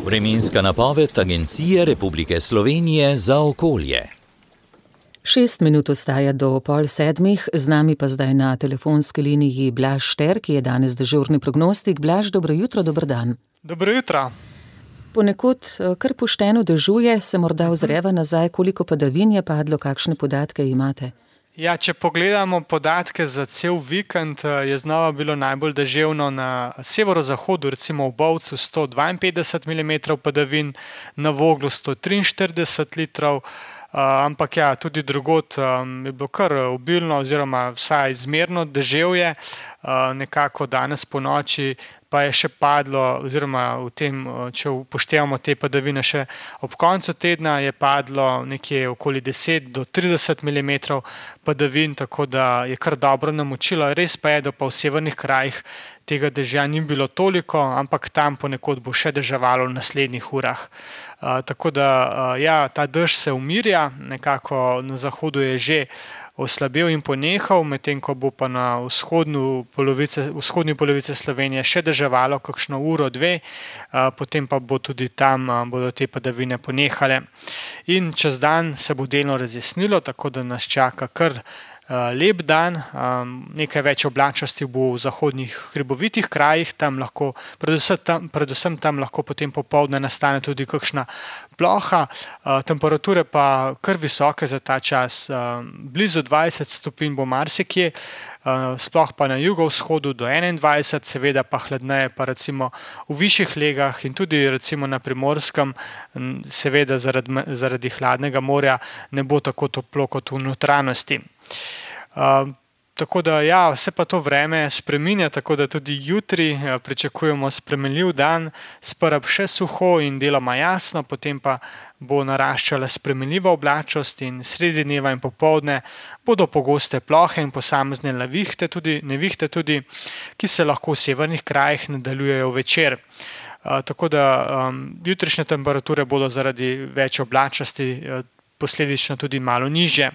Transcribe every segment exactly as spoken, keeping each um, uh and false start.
Vremenska napoved Agencije Republike Slovenije za okolje. Šest minut ostaja do pol sedmih, z nami pa zdaj na telefonski liniji Blaž Šter, ki je danes dežurni prognostik. Blaž, dobro jutro, dober dan. Dobro jutro. Ponekod kar pošteno dežuje, se morda ozreva nazaj, koliko padavin je padlo, kakšne podatke imate? Ja, če pogledamo podatke za cel vikend, je znova bilo najbolj deževno na severozahodu, recimo v Bovcu sto dvainpetdeset milimetrov padavin, na Voglu sto triinštirideset litrov, uh, ampak ja, tudi drugod um, je bilo kar obilno oziroma vsaj zmerno deževje, uh, nekako danes po noči pa je še padlo, oziroma v tem, če upoštevamo te padavine še ob koncu tedna, je padlo nekje okoli deset do trideset milimetrov padavin, tako da je kar dobro namočilo. Res pa je, da pa v severnih krajih tega dežja ni bilo toliko, ampak tam ponekod bo še deževalo v naslednjih urah. Uh, tako da, uh, ja, ta dež se umirja, nekako na zahodu je že oslabel in ponehal, medtem ko bo pa na vzhodni polovici, vzhodni polovici Slovenije še deževalo kakšno uro, dve, potem pa bo tudi tam bodo te padavine ponehale. In čez dan se bo delno razjasnilo, tako da nas čaka kar lep dan, nekaj več oblačnosti bo v zahodnih hribovitih krajih, tam lahko, predvsem tam, predvsem tam lahko potem popoldne nastane tudi kakšna ploha, temperature pa kar visoke za ta čas, blizu dvajset stopinj bo marsikje, sploh pa na jugovzhodu do enaindvajset, seveda pa hladneje pa recimo v višjih legah in tudi recimo na Primorskem, seveda zaradi, zaradi hladnega morja ne bo tako toplo kot v notranjosti. Uh, tako da ja, se pa to vreme spreminja, tako da tudi jutri uh, pričakujemo spremenljiv dan, sprva še suho in deloma jasno, potem pa bo naraščala spremenljiva oblačnost in sredi dneva in popoldne bodo pogoste plohe in posamezne nevihte tudi, nevihte tudi, ki se lahko v severnih krajih nadaljujejo večer. Uh, tako da um, jutrišnje temperature bodo zaradi več oblačnosti uh, posledično tudi malo nižje.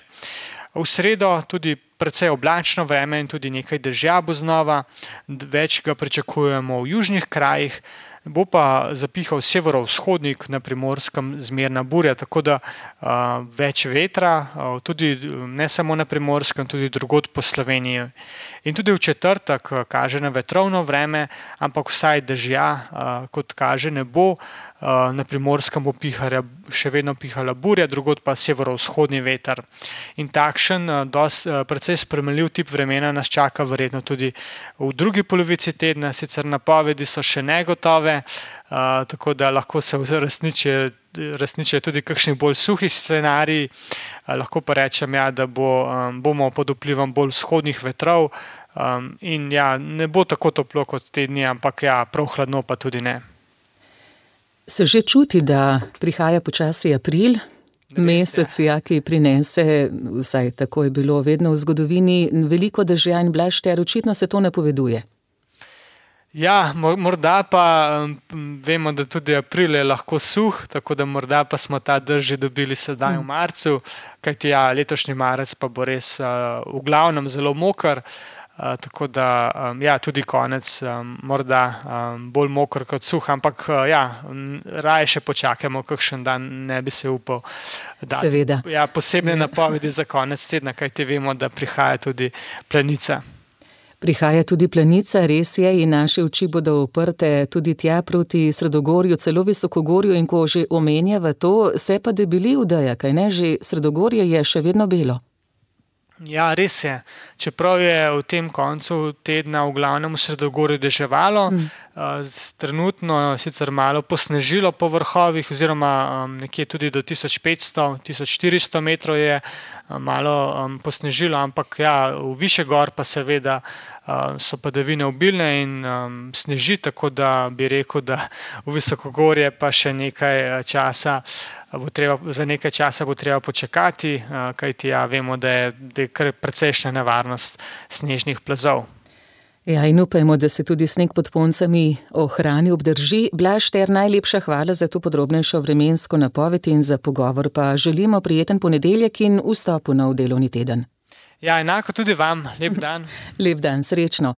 V sredo tudi precej oblačno vreme in tudi nekaj dežja bo znova, več ga pričakujemo v južnih krajih, bo pa zapihal severovzhodnik, na Primorskem zmerna burja, tako da uh, več vetra, uh, tudi ne samo na Primorskem, tudi drugod po Sloveniji. In tudi v četrtek kaže na vetrovno vreme, ampak vsaj dežja, uh, kot kaže, ne bo. Uh, na Primorskem bo pihala, še vedno pihala burja, drugod pa severovzhodni veter. In takšen, uh, dost, uh, precej spremenljiv tip vremena nas čaka verjetno tudi v drugi polovici tedna, sicer napovedi so še negotove, uh, tako da lahko se uresničijo resničijo tudi kakšni bolj suhi scenariji, uh, lahko pa rečem, ja, da bo, um, bomo pod vplivom bolj vzhodnih vetrov um, in ja, ne bo tako toplo kot te dni, ampak ja, prav hladno pa tudi ne. Se že čuti, da prihaja počasi april, mesec, ja, ki prinese, vsaj tako je bilo vedno v zgodovini, veliko dežja in Blaž Šter, očitno se to napoveduje. Ja, morda pa vemo, da tudi april je lahko suh, tako da morda pa smo ta dež že dobili sedaj v marcu, kajti ja, letošnji marec pa bo res uh, v glavnem zelo moker. Uh, tako da, um, ja, tudi konec um, morda um, bolj moker kot suh, ampak uh, ja, raje še počakajmo kakšen dan, ne bi se upal dati. Seveda. Ja, posebne napovedi za konec tedna, kajti vemo, da prihaja tudi planica. Prihaja tudi planica, res je, in naše oči bodo uprte tudi tja proti Sredogorju, celo Visokogorju, in ko že omenjava to, se pa debeli odeja, kaj ne, že Sredogorje je še vedno belo. Ja, res je. Čeprav je v tem koncu tedna v glavnem v Sredogorju deževalo, mm. trenutno sicer malo posnežilo po vrhovih, oziroma um, nekje tudi do tisoč petsto do tisoč štiristo metrov je um, malo um, posnežilo, ampak ja, v višje gor pa seveda um, so padavine obilne in um, sneži, tako da bi rekel, da v Visokogorje pa še nekaj časa Bo treba, za nekaj časa bo treba počakati, kajti ja, vemo, da je, da je kar precejšnja nevarnost snežnih plazov. Ja, in upajmo, da se tudi sneg pod Poncami ohrani, obdrži. Blaž Šter, najlepša hvala za to podrobnejšo vremensko napoved in za pogovor, pa želimo prijeten ponedeljek in vstop v nov delovni teden. Ja, enako tudi vam. Lep dan. Lep dan, srečno.